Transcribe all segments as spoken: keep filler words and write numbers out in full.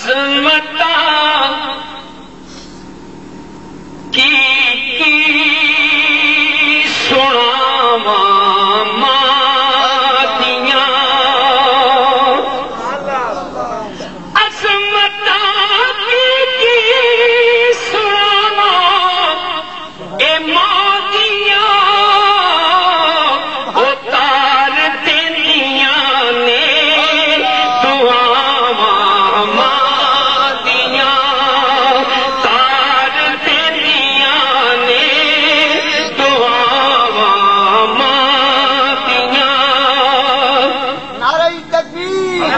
عظمتاں کی، کی سناواں ماں دیاں۔ عظمتاں کی، کی سناواں اے ماں دیاں، او تار دیندیاں نے دعاواں ماں دیاں، تار دیندیاں نے دعاواں ماں دیاں۔ نعرہ تکبیر،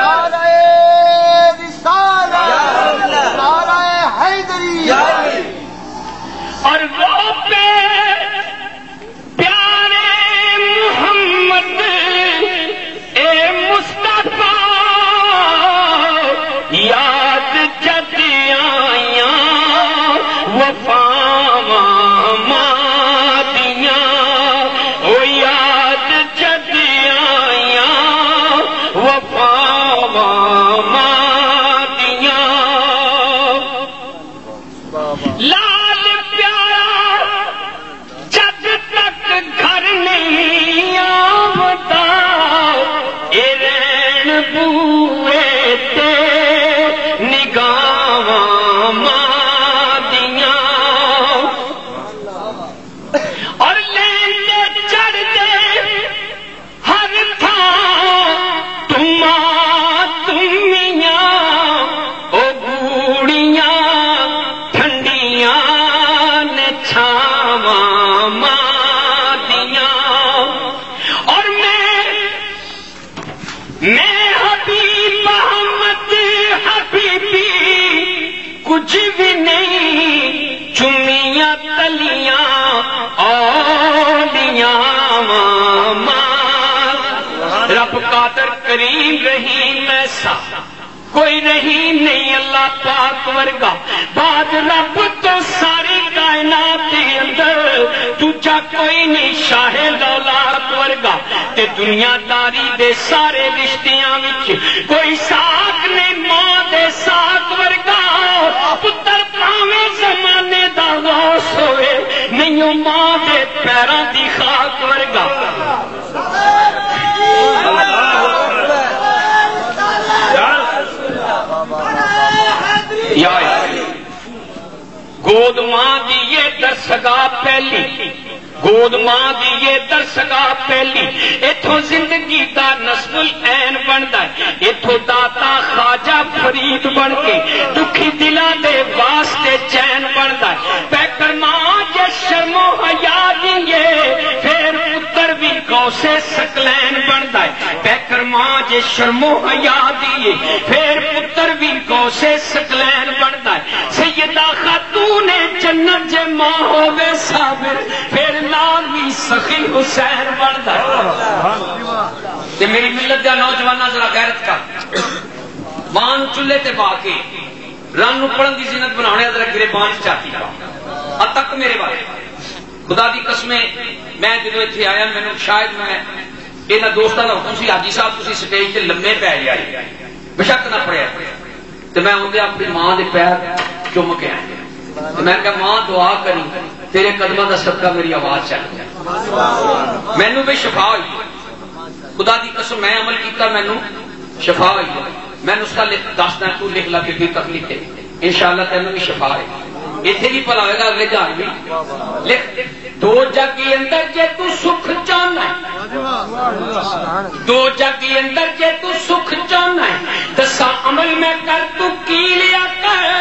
نعرہ رسالت، نعرہ حیدری۔ اور وہ پہ پیارے محمد، اے مصطفیٰ، یاد جد آئیاں وفاواں ماں دیاں، او یاد جد آئیاں وفاواں ماں دیاں۔ لال پیارا جد تک گھر نہیں آوندا، اے رین بوئے تے نگاہواں ماں دیاں۔ اور لین دے چڑھ دے ہر تھاں تماں تمیاں، او گوڑیاں ٹھنڈیاں نے چھاواں ماں دیاں۔ اور میں، میں حبیب احمد حبیبی، کچھ بھی نہیں، چمیاں تلیاں اولیاں ماں۔ رب قادر کریم رحیم ایسا کوئی رحیم نہیں اللہ پاک ورگا۔ بعد رب تو ساری کائنات دے اندر دوجا کوئی نہیں شاہ دولات ورگا۔ تے دنیا داری دے سارے رشتیاں وچ کوئی ساکھ نہیں ماں دے ساکھ ورگا۔ پتر پاویں زمانے دا غوث ہوئے، نہیں او ماں دے پیراں دی خاک ورگا۔ یا گود ماں دی یہ درسگاہ پہلی، گود ماں دی یہ درسگاہ پہلی، اتھوں زندگی دا نصب العین بندا ہے، اتھوں داتا خواجہ فرید بن کے دکھی دلاں دے واسطے چین بندا ہے۔ پیکر ماں جے شرم و حیا دیے، پھر پتر بھی غوث ثقلین بندا ہے۔ پیکر ماں جے شرم و حیا دیے، پھر پتر بھی غوث ثقلین بندا ہے۔ سیدہ خاتون جنت جے ماں ہووے صابر، پھر نال بھی سخی حسین بندا ہے۔ تے میری ملت دا نوجواناں، ذرا غیرت کر، ماں نوں چولہے تے با کے رن نوں پڑھن دی زینت بناونے، ذرا گرے بان چاتی پا۔ اتک میرے والے، خدا دی قسم ہے، میں جدوں اتھے آیا، مینوں شاید میں انہاں دوستاں دا حکم سی، "حاجی صاحب، تسی سٹیج تے لمے پے جائے، بشک نہ پڑھیا۔" تے میں اوندے اپنی ماں دے پیر چم کے آیا۔ تے میں کہا، "ماں، دعا کری، تیرے قدماں دا صدقہ میری آواز چل گیا۔" مینوں بھی شفا ہوئی۔ خدا دی قسم، میں عمل کیتا، مینوں شفا ہوئی ہے۔ میں نسخہ لکھ دسدا، تو لکھ لا، کوئی تکلیف ہے، انشاءاللہ تینوں بھی شفا ہے۔ ایتھے بھی بھلا ہوئے گا، اگلے جہان بھی۔ لکھ، دو جگ کے اندر جے تو سکھ چاہنا ہے، دو جگ کے اندر جے تو سکھ چاہنا ہے، دسا عمل میں کر، تو کی لیا کر۔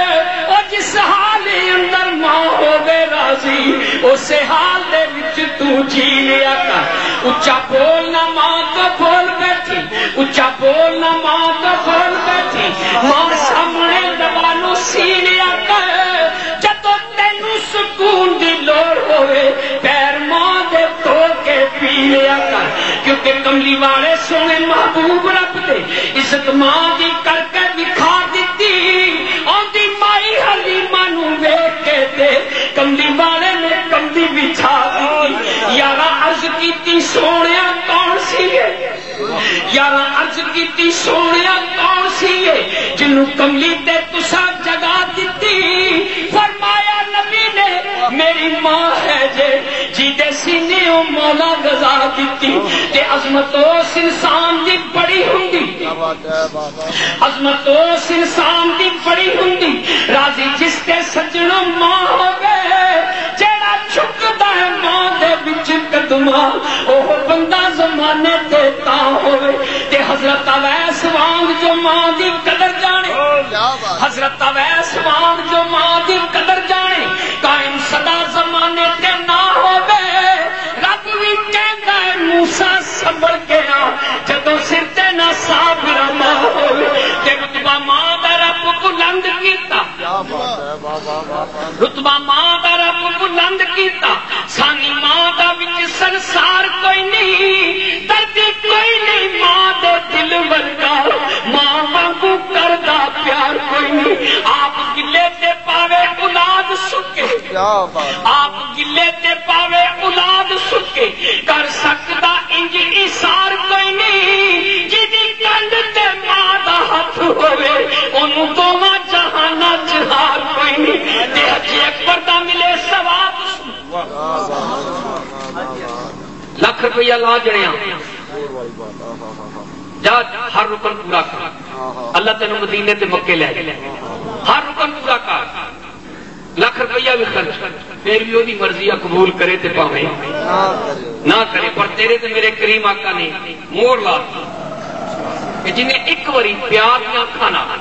او جس حال اندر ماں ہووے راضی، اسے حال دے وچ تو جی لیا کر۔ اچا بول نہ ماں تو بول بیٹھی، اچا بول نہ ماں تو بول بیٹھی۔ ماں سامنے دوا نو سی لیا کر۔ جدوں تینوں سکون دی لوڑ ہوئے، پیر ماں دے دھو کے پی لیا کر۔ کیونکہ کملی والے سونے محبوب رب دے عزت ماں دی کر کے دکھا دتی۔ آندی مائی حلیمہ نو ویکھ کے تے کملی والے نے کملی بچھا دتی۔ یارا عرض کیتی، سونیا کون سی ہے؟ یارا عرض کیتی، سونیا کون سی ہے جنوں کملی تے تساں جگہ دتی۔ فرمایا نبی نے، میری ماں ہے جے، جی دے سینے او مولا غذا دتی۔ تے عظمت اس انسان دی بڑی ہوندی، عظمت اس انسان دی بڑی ہوندی، راضی جس تے سجنوں ماں ہووے۔ جیڑا جھکدا ہے ماں دے وچ قدماں، او بندہ زمانے تے تاں ہووے۔ تے حضرت اویس وانگ جو ماں دی قدر جانے، حضرت اویس وانگ جو ماں دی قدر جانے، قائم سدا زمانے تے نہ ہووے۔ رب وی کہندا ہے، موسیٰ سنبھل کے آ، جدوں سر تے نہ صابرہ ماں ہووے۔ تے رتبہ ماں دا رب بلند کیتا، رتبہ ماں دا رب بلند کیتا۔ سانی ماں دا وچ سنسار کوئی نہیں، دردی کوئی نہیں ماں دے دل ورگا، ماں وانگوں کردا پیار کوئی نہیں۔ آپ گلے تے پاوے اولاد سکے، آپ گلے تے پاوے اولاد سکے، کر سکدا انج ایثار کوئی نہیں۔ جدی کنڈ تے ماں دا ہتھ ہووے، اونوں دوواں جہاناں چ ہار کوئی نہیں۔ تے حج اکبر دا ملے ثواب۔ لکھ روپیہ لا جنیا، جا ہر رکن پورا کر۔ اللہ تینوں مدینے تے مکے لے جائے۔ ہر رکن پورا کر، لکھ روپیہ بھی خرچ، پھر بھی وہی مرضی آ، قبول کرے تے پاویں نہ کرے، پر تیرے تے میرے کریم آقا نے مور لا دتی کہ جنہیں ایک واری پیار دیاں اکھاں نال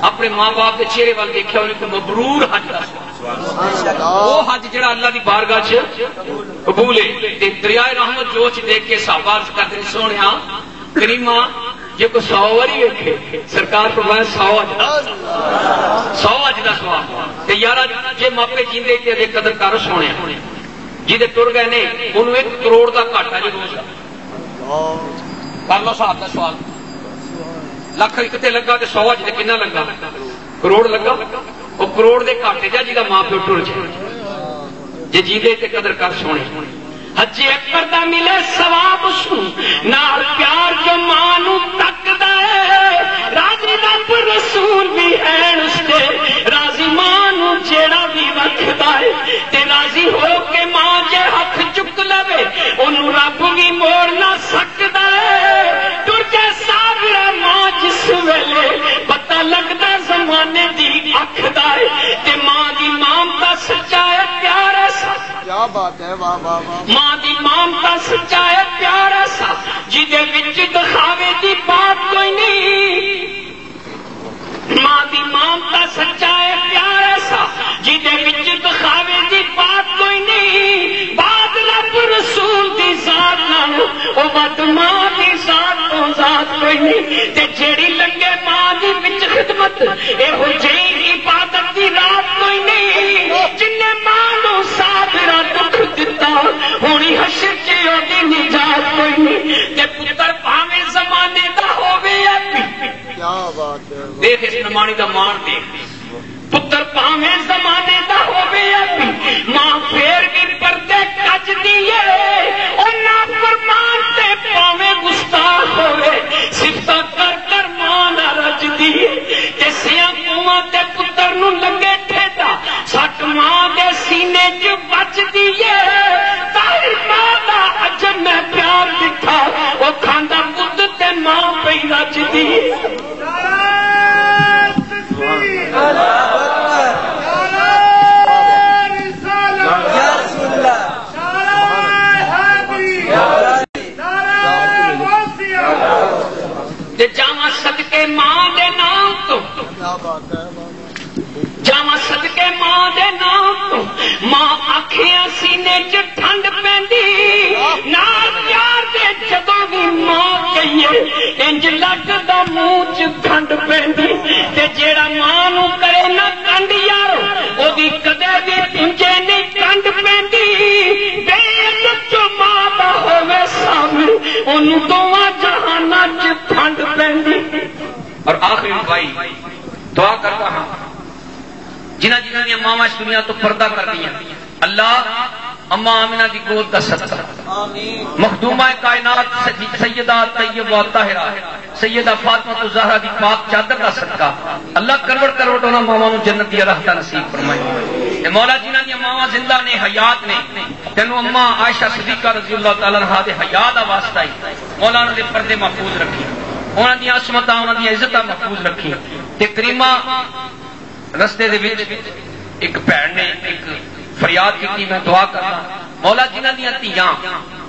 اپنے ماں باپ دے چہرے ول دیکھیا، انہیں کو مبرور حج دا سوال۔ وہ حج جڑا اللہ دی بارگاہ چ قبول ہے۔ تے دریائے رحمت جوش دیکھ کے صحابہ عرض کردے نے، سوہنیا، کریمہ، جے کوئی سو واری ویکھے، سرکار فرمایا، سو حج دا، سو حج دا ثواب۔ تے یارا، جے ماپے جیندے تے ادے قدر کر سونے، جیندے ٹر گئے نے، انہوں ایک کروڑ دا گھاٹا جے روز دا۔ کر لو صاحب دا سوال، لکھ ایک تے لگا تے سو حج تے کنا لگا؟ کروڑ لگا۔ او کروڑ دے گھاٹے جا جیدا ماں پیو ٹر جائے۔ جے جیندے تے قدر کر سونے۔ حج اکبر دا ملے ثواب اس نوں، نال پیار جو ماں نوں تکدا ہے۔ راضی رب رسول بھی ہے اس تے، راضی ماں نوں جیڑا بھی رکھدا ہے۔ تے راضی ہو کے ماں جے ہتھ چک لوے، اونوں رب بھی موڑ نہ سکدا ہے۔ ٹر جائے صابرہ ماں جس ویلے، پتہ لگدا زمانے دی اکھ دا ہے۔ تے ماں دی مامتا سچا ہے، پیار ایسا۔ کیا بات ہے، واہ، واہ، واہ۔ ماں دی مامتا سچا ہے، پیار ایسا، جدے وچ دکھاوے دی بات کوئی نہیں۔ ماں دی مامتا سچا ہے، پیار ایسا، جدے وچ دکھاوے دی بات کوئی نہیں۔ بعد رب رسول دی ذات نال، او ود ماں دی ذات تو ذات کوئی نہیں۔ تے جیڑی لنگے ماں دی وچ خدمت، اے ہو جئی عبادت دی رات کوئی نہیں۔ جن نے ماں نوں صابرہ دکھ دتا، ہونی حشر چ اودی نجات کوئی نہیں۔ تے پتر بھاویں زمانے دا ہووے یا پی۔ کیا بات ہے۔ دیکھ اس نمانی دا مان دیکھ۔ پتر بھاویں زمانے دا ہووے یا پی، ماں پھر بھی پردے کج دیے۔ او نافرمان تے پاویں گستاخ ہووے، صفتاں کر کر ماں نہ رج دیے۔ تے سیاں کوواں تے پتر نوں لگے ٹھیڈا، سٹ ماں دے سینے چ بچدی اے۔ ظاہر ماں دا عجب میں پیار ڈٹھا، او کھاندا پت تے ماں پئی رجدی اے۔ تے جاواں صدقے ماں دے نام تو، جاواں صدقے ماں دے نام تو، ماں آکھیاں سینے چ ٹھنڈ پیندی، نال پیار دے جدوں وی ماں کہیے، انج لگدا منہ چ کھنڈ پیندی۔ تے جیڑا ماں نوں کرے نہ کنڈ یارو، اودی کدے وی پونجے نہیں کنڈ پیندی۔ بے عزت جو ماں دا ہووے صابر، اونوں دوواں جہاناں چ ٹھنڈ پیندی۔ اور آخری دعائی، دعا کرتا ہاں، جنہاں جنہاں دیاں ماواں اس دنیا تو پردہ کر دیاں، اللہ اماں آمنہ دی گود دا صدقہ، مخدومہ کائنات سیدہ طیبہ طاہرہ سیدہ فاطمہ الزہرا دی پاک چادر دا صدقہ، اللہ کروڑ کروڑ انہاں ماواں نوں جنت دی راحتاں نصیب فرمائے۔ تے مولا، جنہاں دیاں ماواں زندہ نے، حیات نے، تینوں اماں عائشہ صدیقہ رضی اللہ تعالی عنہا دے حیا دا واسطہ ہی مولا انہاں دے پردے محفوظ رکھی، انہاں دیاں عصمتاں، انہاں دیاں عزتاں محفوظ رکھی۔ تے کریمہ رستے دے وچ ایک بھن نے ایک فریاد کیتی، میں دعا کرنا، مولا، جنہاں دیاں دھیاں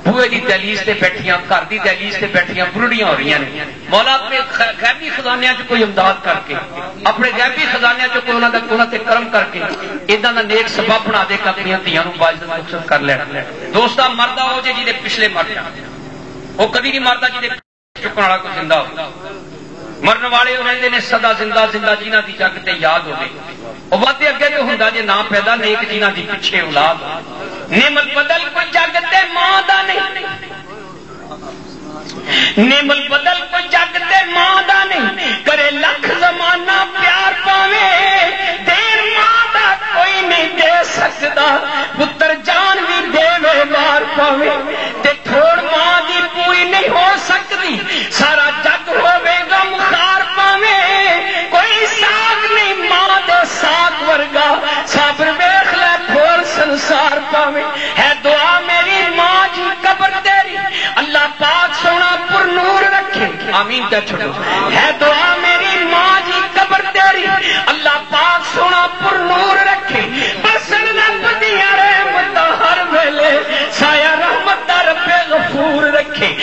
بوئے دی دہلیز تے بیٹھیاں، گھر دی دہلیز تے بیٹھیاں برڑیاں ہو رہیاں نے، مولا، اپنے غ-، غیبی خزانیاں چ کوئی امداد کر کے، اپنے غیبی خزانیاں چ کوئی انہاں دا، انہاں تے کرم کر کے، انہاں دا نیک سبب بنا دے کہ اپنیاں دھیاں نوں باعزت رخصت کر لین۔ دوستا، مردہ ہو جے جی دے پچھلے مر جان، وہ کدی نہیں مردا جی دے چکن والا کوئی زندہ ہو۔ مرن والے وہ رہندے نے سدا زندہ، زندہ جنہاں دی جگ تے یاد ہوے۔ وہ وعدے اگے تو ہوندا جے نہ پیدا، نیک جنہاں دی پچھے اولاد۔ نعمت بدل کوئی جگ تے ماں دا نہیں، نعمت بدل کوئی جگ تے ماں دا نہیں۔ کرے لکھ زمانہ پیار پاوے، دین ماں دا کوئی نہیں دے سکدا۔ پتر جان بھی دے وے مار پاوے، تے تھوڑ ماں دی پوری نہیں ہو سکدی۔ سارا جگ ہووے غمخوار پاویں، کوئی ساگ نہیں ماں دے ساگ ورگا۔ صبر ویکھ لے پھول سنسار پاویں۔ ہے دعا میری ماں جی قبر تیری، اللہ پاک سونا پر نور رکھے۔ آمین کہہ چھوڑو۔ ہے دعا میری ماں جی قبر تیری، اللہ پاک سونا پر نور رکھے۔ برسن رب دیاں رحمتاں ہر ویلے، سایہ رحمت دا رب غفور رکھے۔